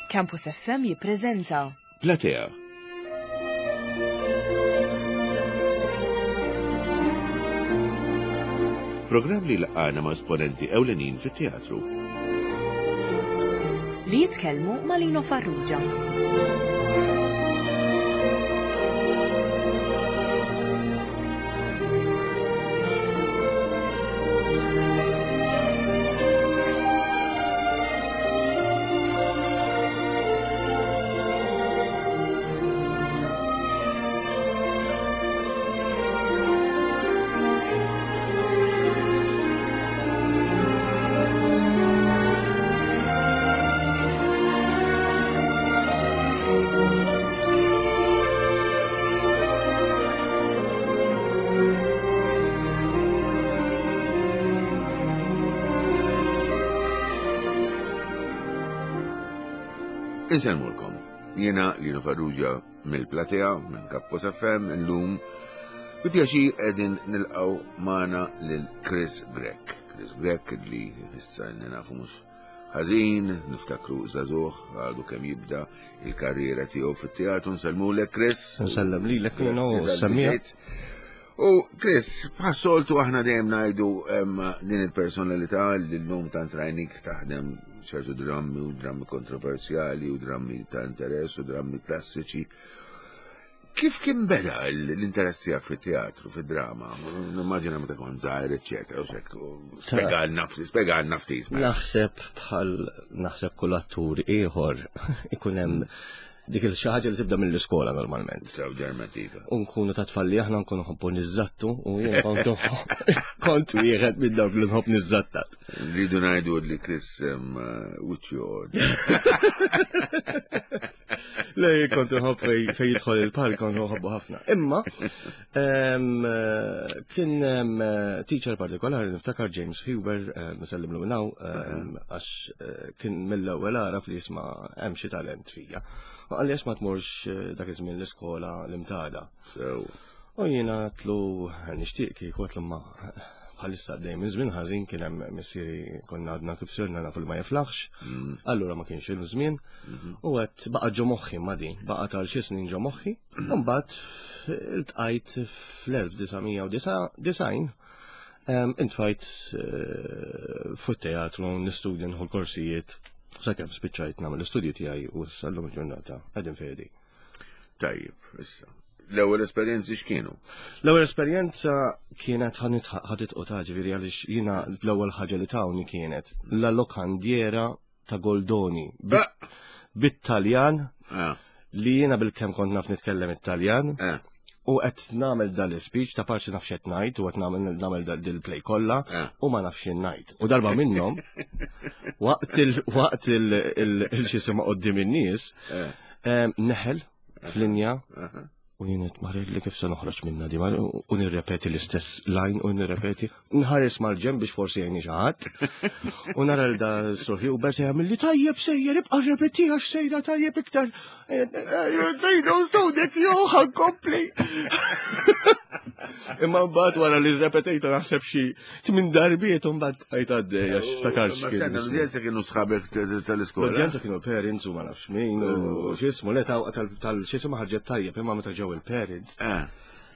Campus FM jippreżenta Platea. Programm li laqgħana ma' esponenti ewlenin fit-teatru. Li jitkellmu ma' Lino Farrugia. Insellmulkom. Jiena Lino Farrugia mill-Platea, minn Kappos FM, illum bi pjaċir qegħdin nilqgħu magħna lil Chris Grech. Chris Grech li issa nafu mhux ħażin, niftakru żagħżugħ għadu kemm jibda il-karriera tiegħu fit-teatru, nsellmulek Chris. Nsellem lilek Lino u semmija. U Chris, bħas-soltu aħna dejjem ngħidu din il-personalità li llum tant rajnik taħdem ċertu drammi u drammi kontroversjali u drammi ta' interess u drammi klassiċi. Kif kien beda l-interess tiegħek fit-teatru, fid-drama? Nimmaġina meta kont żgħir, eċċetera, u xek. Spjegalna ftit, spjegalna ftit. Mela. Naħseb bħal naħseb kull attur ieħor ikun hemm dik il xi ħaġa li tibda mill-iskola normalment. Sew ġermativa. U nkunu ta' tfalli aħna nkunu nħobbu niżżattu u jien kont kont wieħed minn dawk li nħobb niżżattat. Rridu ngħidu li Chris wiċċu Le, kont nħobb fej jidħol il-park, kont nħobbu ħafna. Imma, kien teacher partikolari niftakar James Huber, nsellimlu minn hawn, għax eh, kien mill-ewwel għaraf li jisma' hemm xi talent fija. U qalli għax ma tmurx eh, dak iż-żmien l-iskola l-imtada. U jiena għatlu nixtieq kieku għatlu ma bħalissa għaddej minn żmien ħażin kien hemm missieri konna għadna kif sirna nafu li ma jiflaħx, mm. allura ma kienx ilu żmien mm-hmm. u għedt baqa' ġo moħħi ma din, baqa' tal xi snin ġo moħħi, u mbagħad iltqajt fl-1999 intfajt eh, fuq teatru nistudja nħu l-korsijiet sakemm spiċċajt nagħmel l-istudji tiegħi u sallum il-ġurnata qegħdin fejdi. Tajjeb, issa. L-ewwel esperjenzi x'kienu? L-ewwel esperjenza kienet ħadet qota ġifieri għaliex jiena l-ewwel ħaġa li tawni kienet la lokandiera ta' Goldoni. Ah! Bit-Taljan ah. li jiena bil-kemm kont naf nitkellem it-Taljan. Ah. U qed nagħmel dan l-speech ta' parti naf x'qed ngħid u qed nagħmel nagħmel dil-play kollha eh. u ma nafx ngħid. U darba minnhom waqt il waqt il-xisima qudiem in-nies eh. Neħel f'linja u jien qed marir li kif se noħroġ minna di u nirrepeti l-istess line u nirrepeti nħares mal-ġenb biex forsi jgħinni xi ħadd u nara l da surħi u bersi jagħmel li tajjeb sejjer ibqa' rrepeti għax sejra tajjeb iktar. Dejdu studek jew ħankompli. Imma mbagħad wara li rrepetejta naħseb xi Tmin darbiet u mbagħad bqajt għaddej għax ftakarx kien. Sena, l-udjenza kienu sħabek tal-iskola. L-udjenza kienu parents u ma nafx min u x'ismu le tal x'ismu ħarġet tajjeb imma meta ġew il-parents. Eh.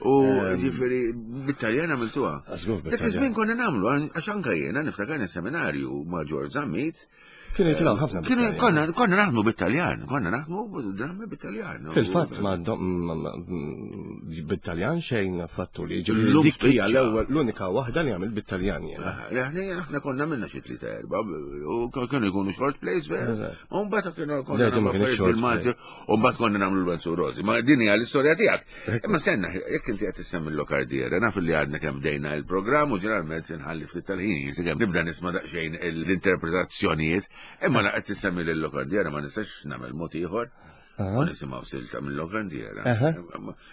U ġifieri bit-Taljan għamiltuha. Dak iż-żmien konna nagħmlu għax anke jiena niftakar seminarju ma' George Zammit Kienu jitilgħu ħafna. Kienu konna konna naħdmu bit-Taljan, konna naħdmu drammi bit-Taljan. Fil-fatt ma bit-Taljan xejn fattu li ġifieri dik hija l-ewwel l-unika waħda li għamil bit-Taljan jiena. Aħna konna minna xi tlieta erba' u kienu jkunu short plays vera. U mbagħad kienu konna nagħmlu bil-Malti u mbagħad konna nagħmlu l-Benzu Rosi. Ma din hija l-istorja tiegħek. Imma stenna, jekk inti qed tissemmi l-lokardiera, naf li għadna kemm bdejna il-programm u ġeneralment inħalli ftit tal-ħin jinsikemm nibda nisma' daqsxejn l-interpretazzjonijiet, imma la qed tissemmi l-lokandiera ma nistax nagħmel mod ieħor. U nisimgħu silta mill-lokandiera.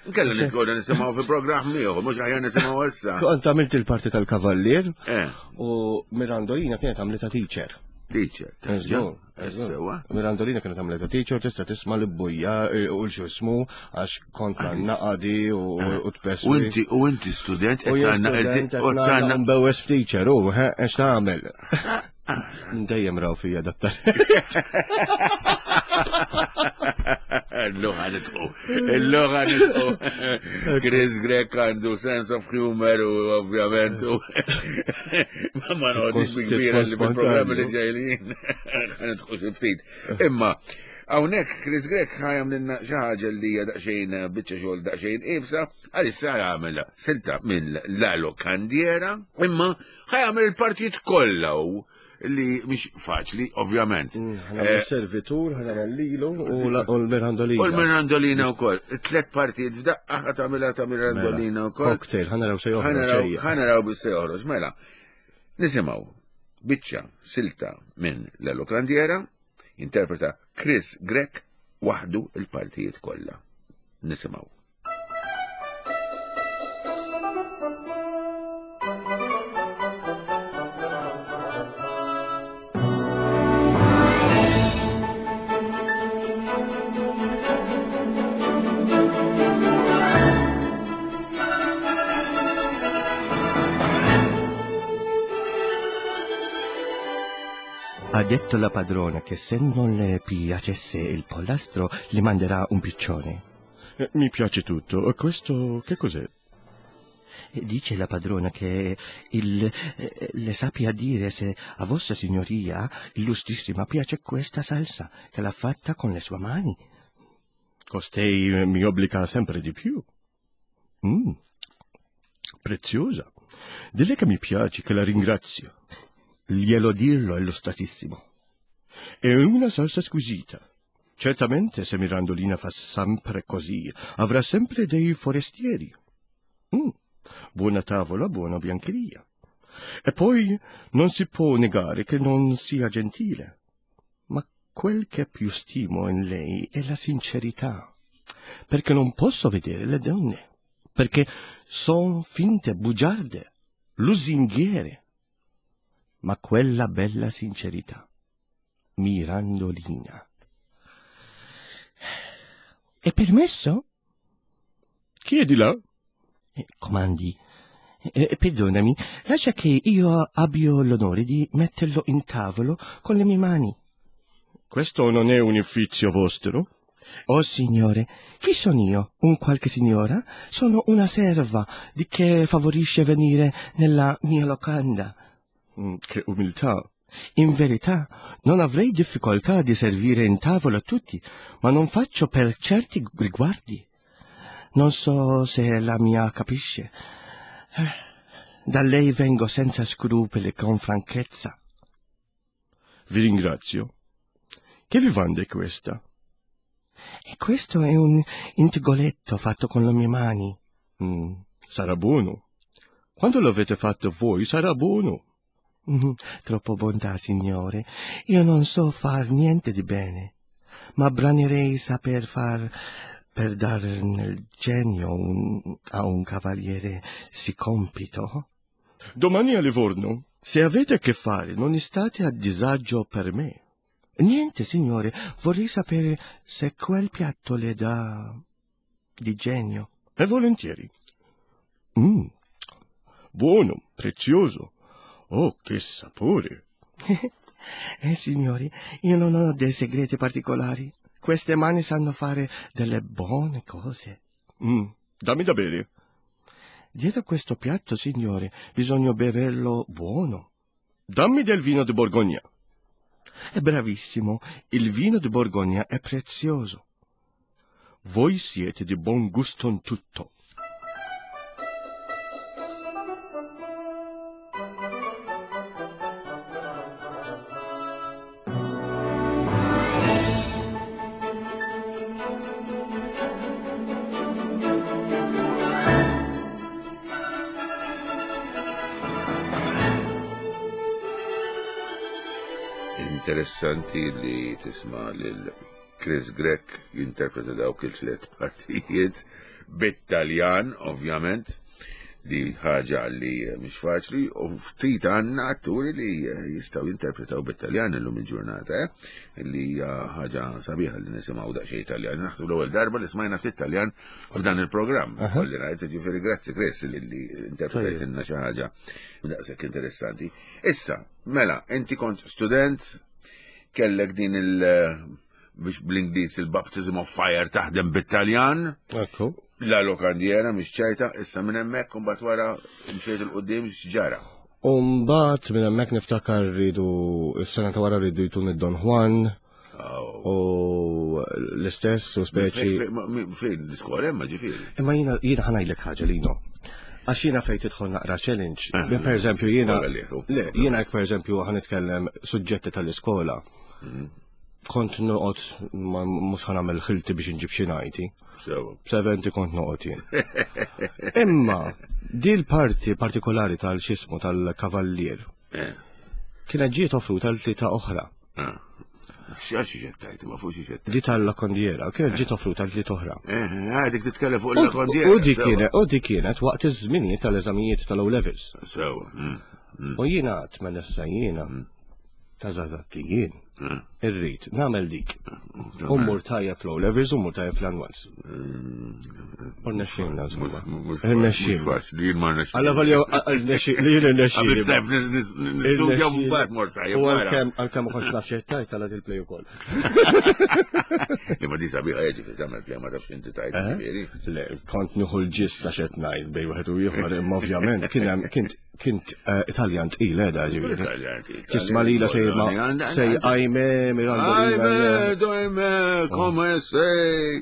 Nkella nitkonna nisimgħu fi programm ieħor, mhux aħjar nisimgħu issa. Kont għamilt il-parti tal-kavallier eh. u Mirandolina kienet għamlita teacher. Teacher, Sewa. Mirandolina kienet għamleta teacher tista' tisma' li bujja eh, u l-xismu għax kont naqadi u eh. tpes. U inti u inti student qed tagħna mbewes f'teacher u għax tagħmel. Dejjem raw fija dattar. Illum ħa nidħku. Illum ħa nidħku. Chris Grech għandu sense of humor u ovvjament u ma noqgħodix bi kbira li bil-programmi li ġejlin ħa nidħku xi ftit. Imma hawnhekk Chris Grech ħa jagħmlilna xi ħaġa li hija daqsxejn biċċa xogħol daqsxejn iebsa, għalissa jagħmel silta minn La Locandiera, imma ħa jagħmel il-partijiet kollha u li mhix faċli, ovvjament. Ħa nagħmel servitur, ħa nagħmel lilu u l-Mirandolina. U l-Mirandolina wkoll. Tlet partijiet f'daqqa ħa tagħmilha ta' Mirandolina mela. wkoll. Cocktail, ħa naraw se joħroġ. Ħa naraw bis se joħroġ, mela. Nisimgħu biċċa silta minn La Locandiera, interpreta Chris Grech waħdu il-partijiet kollha. Nisimgħu. Ha detto la padrona che se non le piacesse il pollastro le manderà un piccione. Eh, mi piace tutto. Questo che cos'è? Dice la padrona che il, eh, le sappia dire se a vostra signoria illustrissima piace questa salsa che l'ha fatta con le sue mani. Costei mi obbliga sempre di più. Mm. Preziosa. Dille che mi piace, che la ringrazio. Glielo dirlo, illustratissimo. È una salsa squisita. Certamente se Mirandolina fa sempre così, avrà sempre dei forestieri. Mm. Buona tavola, buona biancheria. E poi non si può negare che non sia gentile. Ma quel che più stimo in lei è la sincerità. Perché non posso vedere le donne. Perché son finte, bugiarde, lusinghiere. Ma quella bella sincerità, Mirandolina. È permesso? Chiedila. Eh, comandi. Eh, perdonami, lascia che io abbia l'onore di metterlo in tavolo con le mie mani. Questo non è un uffizio vostro? Oh signore, chi sono io? Un qualche signora? Sono una serva di che favorisce venire nella mia locanda. Mm, che umiltà. In verità, non avrei difficoltà di servire in tavola tutti, ma non faccio per certi riguardi. Non so se la mia capisce. Eh, da lei vengo senza scrupoli, con franchezza. Vi ringrazio. Che vivanda è questa? E questo è un intigoletto fatto con le mie mani. Mm, sarà buono. Quando l'avete fatto voi sarà buono. Mm, troppo bontà, signore. Io non so far niente di bene, ma branerei saper far per dar nel genio un, a un cavaliere sì compito. Domani a Livorno, se avete a che fare, non state a disagio per me. Niente, signore, vorrei sapere se quel piatto le dà di genio. E volentieri. Mm. Buono, prezioso. Oh, che sapore! eh, signori, io non ho dei segreti particolari. Queste mani sanno fare delle buone cose. Mm, dammi da bere. Dietro questo piatto, signore, bisogna beverlo buono. Dammi del vino di Borgogna. È bravissimo, il vino di Borgogna è prezioso. Voi siete di buon gusto in tutto. Interessanti li tisma' lil Chris Grech jinterpreta dawk il-tliet partijiet bit-Taljan, ovvjament, li ħaġa li mhix faċli u ftit għandna atturi li jistgħu jinterpretaw bit-Taljan illum il-ġurnata, eh? li hija ħaġa sabiħa li nisimgħu daqsxejn Taljan. Naħseb l-ewwel darba li smajna ftit Taljan f'dan il-programm. Kolli ngħid ġifieri grazzi Chris li interpretajtilna xi ħaġa daqshekk interessanti. Issa, mela, inti kont student, kellek din il- biex bl-Ingliż il-baptism of fire taħdem bit-Taljan. Ekku. La lokandiera mhix ċajta, issa minn hemmhekk imbagħad wara mxejt 'il quddiem x'ġara. U mbagħad minn hemmhekk niftakar rridu s-sena ta' wara rridu jtun id-Don Juan. U l-istess u speċi. Fejn l-iskola hemm ġifieri. Imma jiena jiena ħanajdlek ħaġa lino. Għax jiena fejn tidħol naqra challenge. Eh, per eżempju jiena. Le, jiena per eżempju ħanitkellem suġġetti tal-iskola. Mm. Kont noqgħod mhux ħanagħmel ħilti biex inġib xi ngħidi. Seventi kont noqgħod jien. Imma di l-parti partikolari tal-xismu tal-kavallier eh. kienet ġiet offruta l-tlieta oħra. Eh. X'għax xi ma fuq xi Di tal-lakondiera, kienet ġiet offruta l-tlieta oħra. Eh, dik titkellem fuq il-lakondiera. U di kienet, u di kienet waqt iż-żminijiet tal-eżamijiet tal-O levels. Sewa. Mm, mm. U jiena tmen issa jiena. Mm. Ta' żgħażagħ li jien eh. irrid nagħmel dik. U mmur tajjeb fl levels u mmur tajjeb fl-anwals. U rnexxilna insomma. Rnexxilna. Faċli jien ma rnexxilna. Alla volja li jien rnexxilna. Għamil sef nistudja mbagħad mor tajjeb. U għalkemm għalkemm ma kontx naf xejn tajt tal il-play ukoll. Li ma di sabiħa jiġi tagħmel play ma tafx inti tajt eh? ġifieri. Le, kont nieħu l-ġist ta' xed ngħid bej wieħed u ieħor imma ovvjament kien hemm kien Kint eh, Italjan tqil edha eh, ġifieri. Italjan tqil. Tisma' lila sej ma sej ajme Miranda. Ajme, dojme, come sej.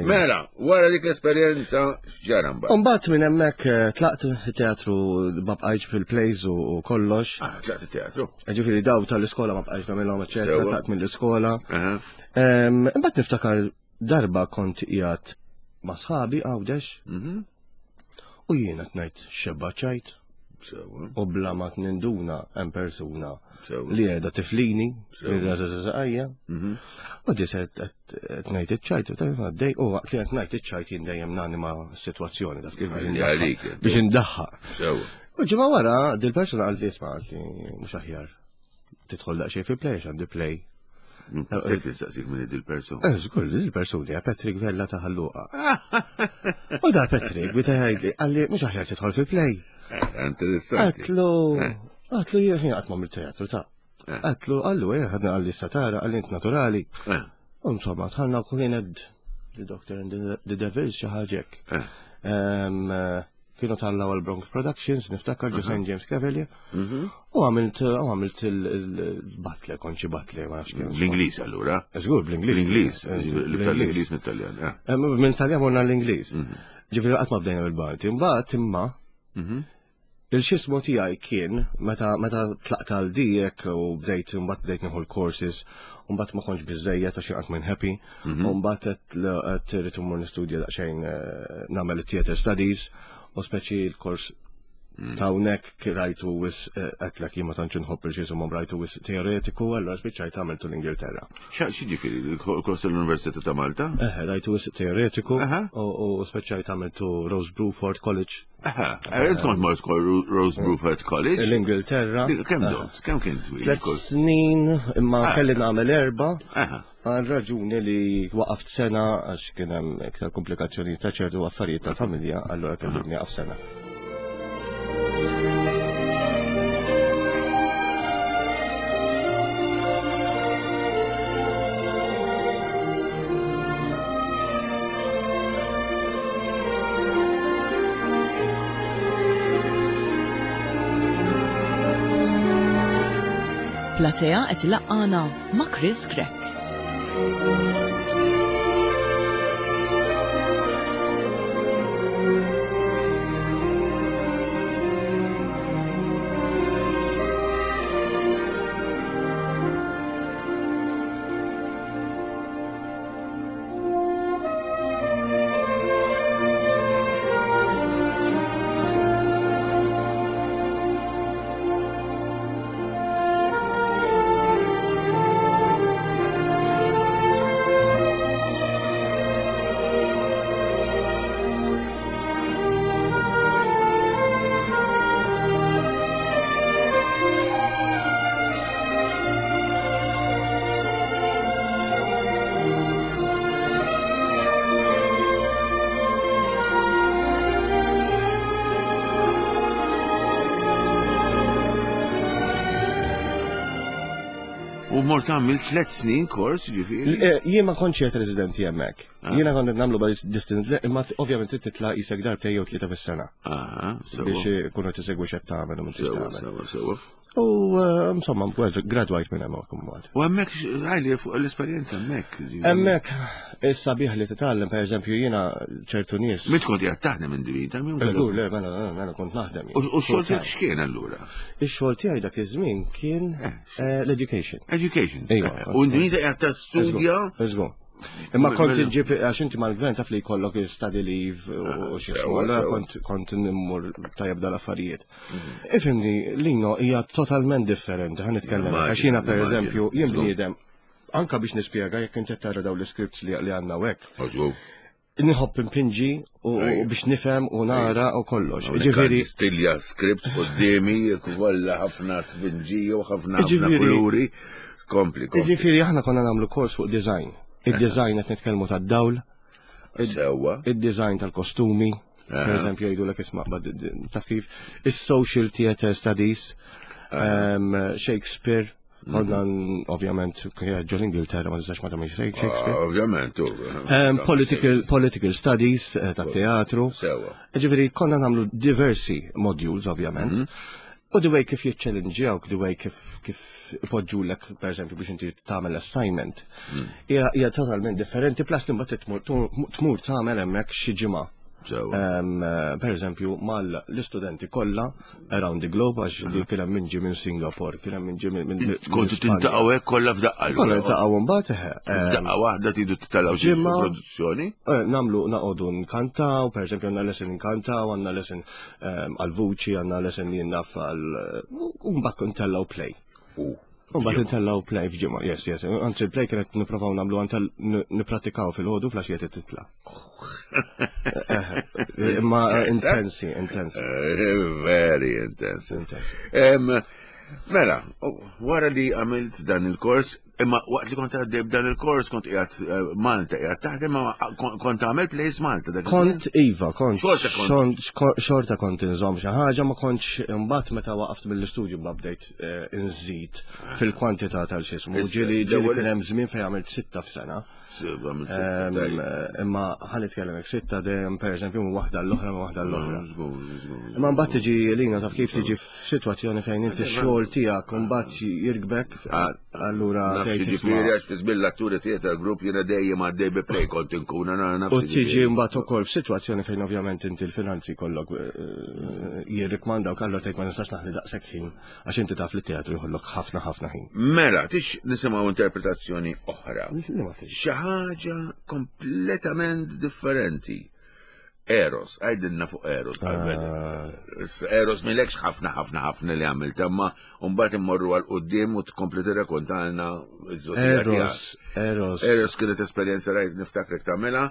Mela, wara dik l-esperjenza x'ġara mbagħad. Mbagħad minn hemmhekk eh, tlaqt teatru ma bqajtx fil-plays u kollox. Ah, tlaqt it-teatru. Ġifieri daw tal-iskola ma bqajtx nagħmilhom eċetera, tlaqt mill-iskola. Imbagħad niftakar Darba kont qiegħed ma' sħabi Għawdex mhm. u jiena tnajt xebba ċajt. U bla ma ninduna hemm persuna li qiegħda tiflini ir-raża mhm. U di se qed ngħid iċ-ċajt u tajt għaddej u waqt li qed ngħid iċ-ċajt jien dejjem nanima s-sitwazzjoni taf kif biex indaħħaq. U ġimgħa wara dil-persuna qalt li isma' qalt li mhux aħjar tidħol daqsxejn fi play għandi play. Tek nistaqsik minn dil-persuna. Eh, żgur, dil-persuna hija Patrick Vella ta' Ħalluqa. U dar Patrick bita jgħidli qalli mhux aħjar tidħol fi play. Eh, interessanti. Għatlu, eh. għatlu jien qatt ma teatru ta' Għatlu, għallu, eh, ħadna għalli satara, għalli int naturali. Insomma, tħalna u kienet The Doctor and the Devils xi ħaġek. Kienu tallaw għal Bronx Productions, niftakar ġo St. James Cavalier. Mhm. U għamilt u għamilt il-batle, konċi batle, ma nafx kien. Bl-Ingliż allura? Żgur, bl-Ingliż. Bl-Ingliż, l-Ingliż mit-Taljan. Eh. Eh, minn Taljan morna l-Ingliż. Mhm. Ġifieri qatt ma bdejna bil-Balti. Mbagħad imma mhm. Il-xismu tiegħi kien meta meta tlaqt għal dijek u bdejt imbagħad bdejt nieħu l-courses u mbagħad ma kontx biżejjed għax qatt minn happy mhm. u mbagħad qed irid immur nistudja daqsxejn eh, nagħmel it-theater studies u speċi l-kors mm. ta' hawnhekk rajtu wis eh, qedlek jien ma tantx inħobb il-xismu rajtu wis teoretiku allura spiċċajt għamiltu l-Ingilterra. X'ġifieri l-kors tal-Università ta' Malta? Eh, rajtu wis teoretiku u spiċċajt għamiltu Rose Bruford College. Int kont mort Rose Bruford College. L-Ingilterra. Kemm domt? Kemm kien twil? Tlet snin, imma ah. kelli nagħmel erba. Għal raġuni li waqaft sena għax kien hemm iktar komplikazzjoni ta' ċertu affarijiet tal-familja, allura kelli nieqaf sena. Platea qed ilaqqana ma' Chris Grech. U mort għamil tlet snin kors, ġifieri? Eh, jien ma kontx qed residenti hemmhekk. Ah. Jiena kont qed nagħmlu bal distant imma ovvjament trid titla' isek darbtejn jew tlieta fis-sena. Ah, biex ikunu tisegwi x'qed tagħmel u minn tagħmel. U eh, insomma, gradwajt minn hemmhekk imbagħad. U hemmhekk għajli fuq l-esperjenza hemmhekk. Hemmhekk issa bih li titgħallem pereżempju jiena ċertu nies. Mit kont qiegħed taħdem individa minn Żgur, le, mela, mela kont naħdem. U x-xogħol tiegħek x'kien allura? Ix-xogħol tiegħi dak iż-żmien kien eh, eh, l-education. Education. Iva. U individa qiegħed ta' studja. Żgur. Imma kont inġib, għax inti mal-gvern taf li jkollok study leave u ah, xi allora kont kont nimmur tajjeb dal-affarijiet. Mhm. Ifimni, Lino hija totalment differenti, ħan nitkellem għax jiena pereżempju jien bniedem anka biex nispjega jekk inti tara dawn l-scripts li għandna hekk. Nħobb impinġi u biex nifhem u nara u kollox. Ġifieri stilja scripts qudiemi kollha ħafna tpinġi u ħafna kuluri. Kompli, kompli. Ġifieri aħna konna nagħmlu kors fuq design. Id-design qed nitkellmu tad-dawl. Sewwa. Id-design tal-kostumi. Per eżempju jgħidulek isma' taf kif is-social theater studies, Shakespeare, Konna ovvjament ġol Ingilterra ma nistax ma tagħmilx Shakespeare. Ah, ovvjament. Political, political studies eh, ta' teatru. Sewa. Ġifieri konna nagħmlu diversi modules ovvjament. Mhm. U the way kif jiċċellinġjawk, the way kif kif ipoġġulek pereżempju biex inti tagħmel assignment. Mm. Hija totalment differenti plus imbagħad tmur tagħmel hemmhekk xi ġimgħa. Eh, per eżempju, mal-istudenti kollha around the globe, għax li kien hemm ġi minn Singapore, kien hemm ġi minn. Kontu tintaqgħu hekk kollha f'daqqa. Kollha ntaqgħu mbagħad eh. F'daqqa waħda tidu titellgħu xi produzzjoni. Eh, namlu naqogħdu nkantaw, per eżempju għandna lesson nkantaw, għandna lesson għal-vuċi, għandna lesson li naf għal u mbagħad ntellgħu play. U mbagħad intellgħu play f'ġimgħa, yes, yes. Anzi il-play kienet nipprovaw nagħmlu għantel nippratikaw fil-ħodu fl-għaxija titla'. Eh, imma intensi, intensi. Eh, very intensi. Mela, wara li għamilt dan il-kors, imma waqt li kont għaddej b'dan il-kors kont qiegħed eh, Malta, qiegħed taħdem ma kont għamel plays Malta. Kont iva, kont xorta kont inżomm xi ħaġa ma kontx imbagħad meta waqaft mill-istudju ma bdejt eh, inżid fil-kwantità tal-xismu. Ġieli ġieli kien hemm żmien fejn għamilt sitta f'sena. Imma ħa nitkellem hekk sitta dejjem pereżempju minn waħda l-oħra minn waħda l-oħra. Imma mbagħad tiġi lina taf kif tiġi f'sitwazzjoni fejn inti x-xogħol tiegħek u mbagħad jirkbek allura tgħid Ġifieri għax fi żmien l-atturi theater group jiena dejjem għaddej bi play kont inkun naf. U tiġi mbagħad ukoll f'sitwazzjoni fejn ovvjament inti l-finanzi kollok eh, jirrikmandawk allura tgħid ma nistax naħli daqshekk ħin Għax inti taf li teatru jħollok ħafna ħafna ħin. Mela, tix nisimgħu interpretazzjoni oħra. Xi ħaġa kompletament differenti. Eros, għajdilna fuq Eros. Ah. Eros milekx ħafna ħafna ħafna li għamilt, imma mbagħad immorru għal qudiem u tkompli tirrakontalna Eros, Eros. Eros kienet esperjenza rajt niftakrek tagħmilha.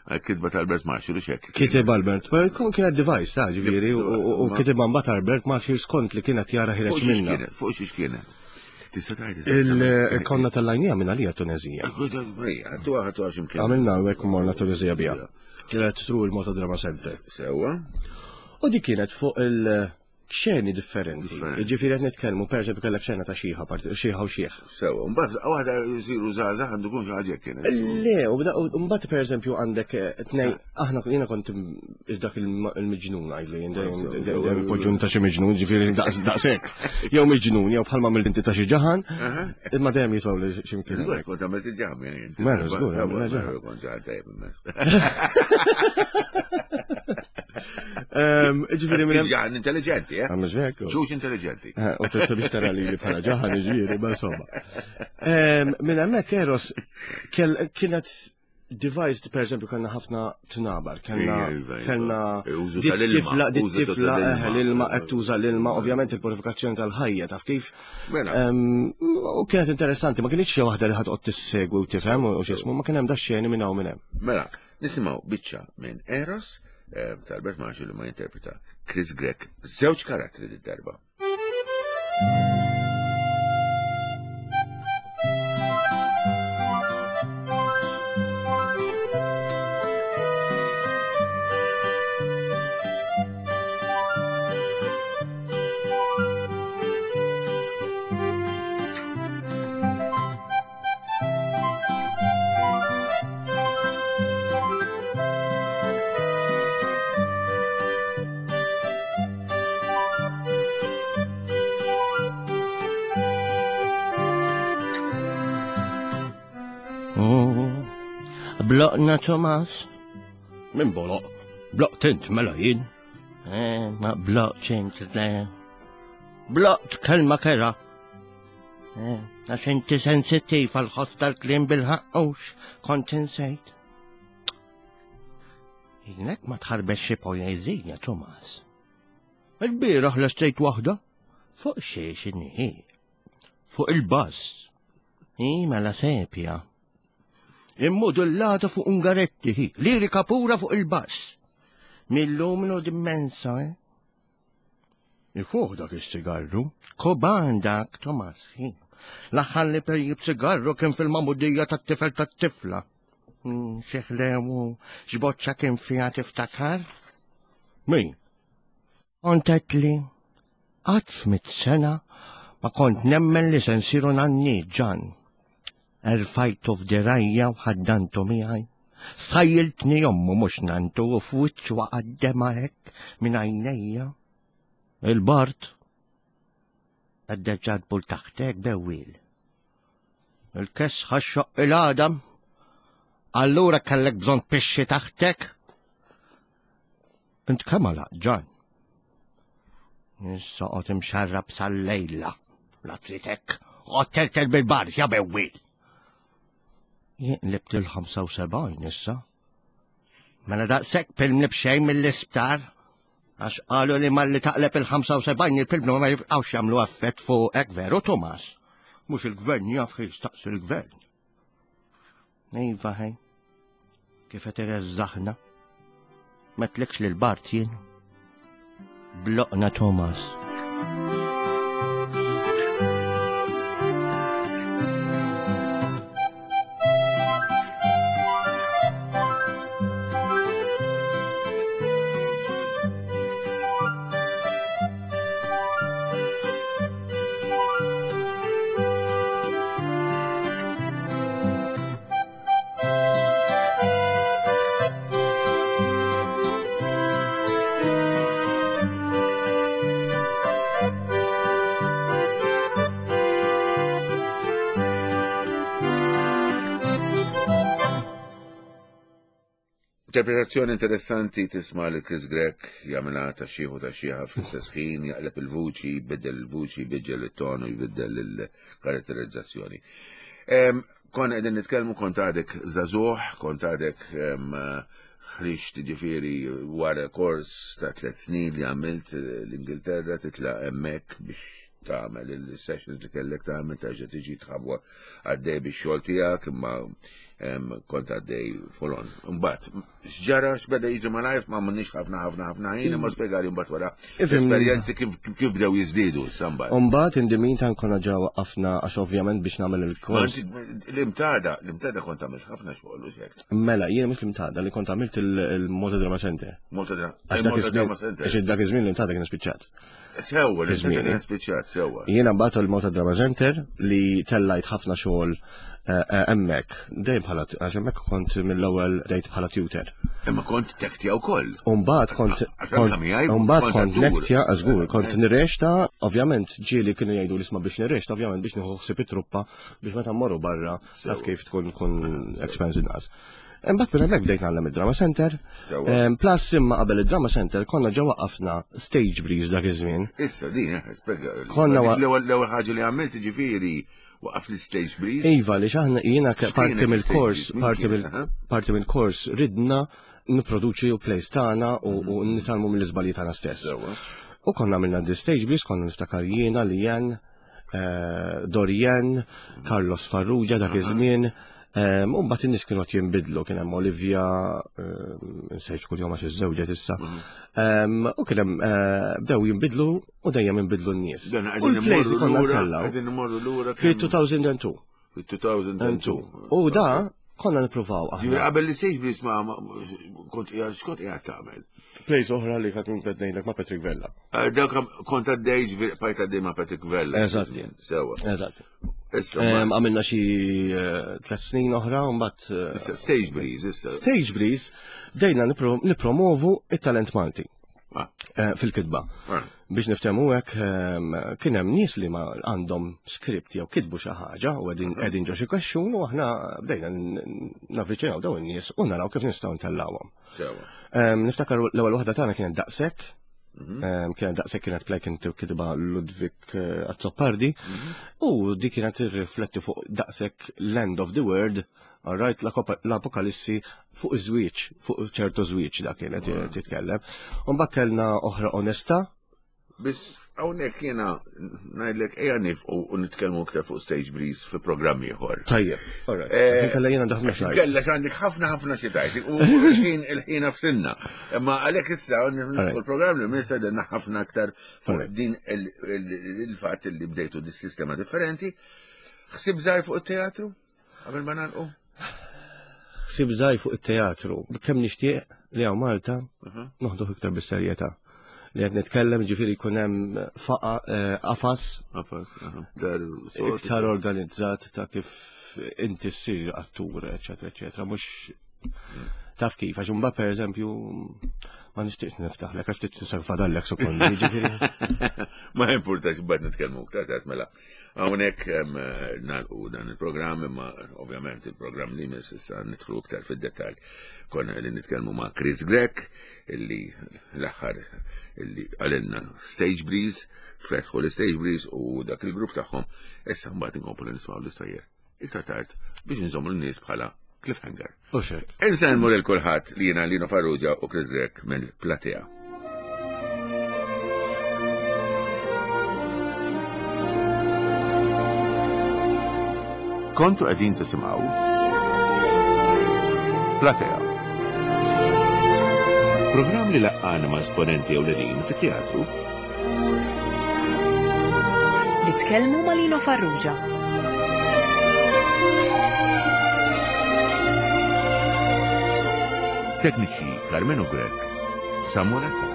Eh, kitba ta' Albert Marshall, u xek. Kitib Albert, ma jkun kienet device ta' ġifieri, u kitib mbagħad Albert Marshall skont li kienet jara ħireġ minna. Fuq xiex kienet? Tista' tgħid Il-konna tal-lajnija minn għalija Tunezija. Għamilna hekk morna Tunezija bija. Kienet tru il-Motodrama Center. Sewa. U di kienet fuq il- xeni differenti. Ġifieri qed nitkellmu pereżempju kellek xena ta' xieħa xieħa u xieħ. Sewa, mbagħad waħda jsiru żgħażagħ għandu jkun xi ħaġa kienet. Le, u mbagħad pereżempju għandek eh, tnej aħna jiena kont dak il-miġnun għajli, dejjem poġġun ta' xi miġnun, ġifieri daqshekk. Jew miġnun, jew bħalma mill inti ta' xi ġaħan, imma dejjem jitgħu li xi mkien. Kont għamilt il-ġaħan. Mela, żgur, għamilna ġaħan. Kont ġaħan tajjeb immens. Ġifieri minn ġaħan intelligenti, eh? Għamux hekk. Ġuġ intelligenti. Eh, u trid biex tara li bħala ġaħan ġifieri, ma insomma. Minn hemmhekk Eros kienet devised per eżempju kellna ħafna tnabar, kellna iva, iva. kellna Użu tal-ilma, tifla tifla eh, l-ilma qed tuża l-ilma, ovvjament il-purifikazzjoni tal-ħajja taf kif. Mela. U kienet interessanti, ma kienx xi waħda li ħad qod tissegwi u tifhem u x'ismu, ma kien hemm da xeni minn hawn minn hemm. Mela, Nisimgħu biċċa minn Eros eh, ta' Albert Marshall li ma jinterpreta Chris Grech, żewġ karattri d-darba. Bloqna Tomas. Min boloq? Bloqt int mela jien. Eh, ma bloqt int le. Bloqt kelma kera. Eh, għax inti sensittiv għal ħoss tal-kliem bil-ħaqqux, kont insejt. Jnek ma tħarbex xi poeżija, Tomas. Il-bieraħ lestejt waħda fuq xiex inhi. Fuq il-bass. Hi mela sepja. Immodullata fuq Ungaretti, hi, lirika pura fuq il-bass. Mill-lumnu dimmensa, eh? Ifuħ dak is-sigarru. Koban dak, Tomas, hi. L-aħħar li pejjib sigarru kien fil-mamudija tat-tifel tat-tifla. Hmm, Xeħlewu, x'boċċa kien fiha tiftakar? Min? Kont li qatt f'mit sena ma kont nemmen li se nsiru nanni ġan. Erfajtu f'dirajja u ħaddantu miegħi. Stħajjiltni ommu mhux nantu u f'wiċċu waqgħet dema hekk minn għajnejja. Il-bart għaddeġġat bul taħtek bewwil. Il-kesħa xoq il-għadam. Allura kellek bżonn pixxi taħtek? Int kemm għalaq ġan? Issa qod imxarrab sal-lejla. La tritek, qod tertel bil-bar, ja bewwil. Jien qlibt il-75 issa. Mela daqshekk pilmni b'xejn mill-isptar. Għax qalu li malli taqleb il-75 il-pilmni ma jibqgħux jagħmlu effett fuqek veru Tomas. Mhux il-gvern jaf staqsi il-gvern. Iva ħej, kif qed ireżżaħna. Ma tlekx lil Bart jien. Bloqna Thomas. Interpretazzjoni interessanti tisma' li Chris Grech jagħmilha ta' xieħu ta' xieħa fl-istess ħin, jaqleb il-vuċi, jbiddel il-vuċi, jbiddel it-tonu, jbiddel il-karatterizzazzjoni. Konna qegħdin nitkellmu kont għadek żagħżugħ, kont għadek ħriġt ġifieri wara kors ta' tliet snin li għamilt l-Ingilterra titla' hemmhekk biex tagħmel il-sessions li kellek tagħmel terġa' tiġi tħabwa għaddej bix-xogħol tiegħek imma kont għaddej folon. Imbagħad x'ġara x'beda jiġi malajr ma m'għandniex ħafna ħafna ħafna ħin imma spjegali mbagħad wara esperjenzi kif bdew jiżdiedu issa mbagħad. Imbagħad in the meantime konna ġa waqqafna għax ovvjament biex nagħmel il-kors. L-imtada, l-imtada kont għamilt ħafna xogħol u hekk. Mela, jiena mhux l-imtada li kont għamilt il-Malta Drama Center. Malta Drama Center. Għax dak iż-żmien l-imtada kien spiċċat. Sewwa, li żmien spiċċat sewwa. Jiena mbagħad il-Malta Drama Center li tellajt ħafna xogħol eh, eh, hemmhekk. Dejjem bħala għax hemmhekk kont mill-ewwel dejt bħala tutor. Imma kont tektja wkoll. Umbagħad kont Umbagħad kont nektja żgur, kont eh. nirrexta, ovvjament ġieli kienu jgħidu l-isma biex nirrexta, ovvjament biex nieħu ħsieb it-truppa biex meta mmorru barra taf kif tkun kun expense inqas. Imbagħad minn hemmhekk bdejt nagħllem id-Drama Center. Plus imma qabel id-Drama Center konna ġa waqqafna Stage Breeze dak iż-żmien. Issa din eh, spjega. Konna l-ewwel ħaġa li għamilt ġifieri waqaf l-Stage Breeze. Iva li aħna jiena parti mill-kors, parti mill-kors ridna nipproduċi u plays tagħna u mhm. nitalmu mill-iżbalji tagħna stess. U konna għamilna di Stage Breeze, konna niftakar jiena li jen eh, Dorian, Carlos Farrugia dak iż-żmien. U mbagħad in-nies kienu qed jinbidlu, kien hemm Olivia, nsejt kull jum għax iżżewġet issa. Mhm. U kien hemm eh, bdew jinbidlu u dejjem jinbidlu n-nies. U l-plays konna ntellaw. Fi 2002. Fi 2002. U da konna nippruvaw aħna. Ġifieri qabel li sejf biss ma kont qiegħed x'kont qiegħed tagħmel. Plays oħra li kont qed ngħidlek ma' Patrick Vella. Eh, dawk kont għaddej ġifieri bqajt għaddej ma' Patrick Vella. Eżatt. Sewa. Eżatt. Għamilna xi eh, tlet snin oħra, mbagħad. Eh, Stage Breeze, issa. Stage Breeze, bdejna nipromovu it-talent Malti. Ah. Eh, fil-kitba. Ah. Biex niftehmu hekk ehm, kien hemm nies li ma għandhom skript jew kitbu xi ħaġa u qegħdin mhm. qegħdin ġo xi kwexxun u aħna bdejna navviċinaw dawn in-nies u naraw kif nistgħu ntellawhom. Ehm, niftakar l-ewwel waħda tagħna kienet daqshekk, mhm. ehm, kienet daqshekk kienet play kien kitba Ludwig eh, Azzopardi mhm. u di kienet tirrifletti fuq daqshekk l-end of the world Alright, l-apokalissi fuq iż-żwieġ, fuq ċertu żwieġ dak kienet titkellem. Mbagħad kellna oħra onesta. Biss hawnhekk jiena ngħidlek ejja nifqu u nitkellmu iktar fuq Stage Breeze fi programm ieħor. Tajjeb, alright. Eh, kella jiena ħafna xi. Kella għandek ħafna ħafna xi tajt. U l-ħin il-ħin f'sinna. Imma għalhekk issa nifqu l-programm li minn sedenna ħafna aktar fuq din il-fatt li bdejtu dis-sistema differenti. Ħsib żgħir fuq it-teatru? Qabel ma nagħlqu? Ħsieb żgħir fuq it-teatru. Kemm nixtieq li hawn Malta noħduh iktar bis-serjetà. Li qed nitkellem ġifieri jkun hemm faqa eh, qafas. Qafas, iktar organizzat ta' kif inti ssir attur, eċetera, eċetera, mhux mm. taf kif, għax imbagħad pereżempju ma nixtieqx niftaħlek għax ftit tisek fadallek sekondi, ġifieri. Ma importax bad nitkellmu iktar tard mela. Hawnhekk nagħlqu dan il-programm imma ovvjament il-programm li jmiss issa nidħlu iktar fid-dettall. Konna qegħdin nitkellmu ma' Chris Grech illi l-aħħar illi għalilna Stage Breeze, fetħu l-Stage Breeze u dak il-grupp tagħhom issa mbagħad inkomplu nismgħu l-istejjer iktar tard biex nżommu l-nies bħala cliffhanger. U xek. Insellmu lil kulħadd li jiena Lino Farrugia u Chris Grech mill-Platea. Kontu qegħdin tisimgħu Platea. Programm li laqqana ma' esponenti ewlenin fit-teatru Li tkellmu ma' Lino Farrugia. Tekniċi Carmenu Grech, Samuel Attard.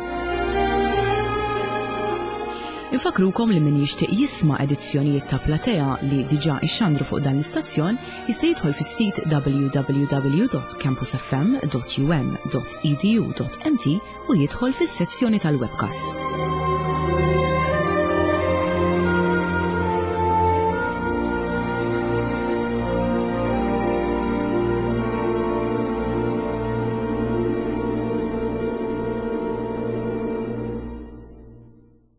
Infakrukom li min jixtieq jisma' edizzjonijiet ta' Platea li diġà ixxandru fuq dan l-istazzjon jista' jidħol fis-sit www.campusfm.um.edu.mt u jidħol fis-sezzjoni tal-webcasts.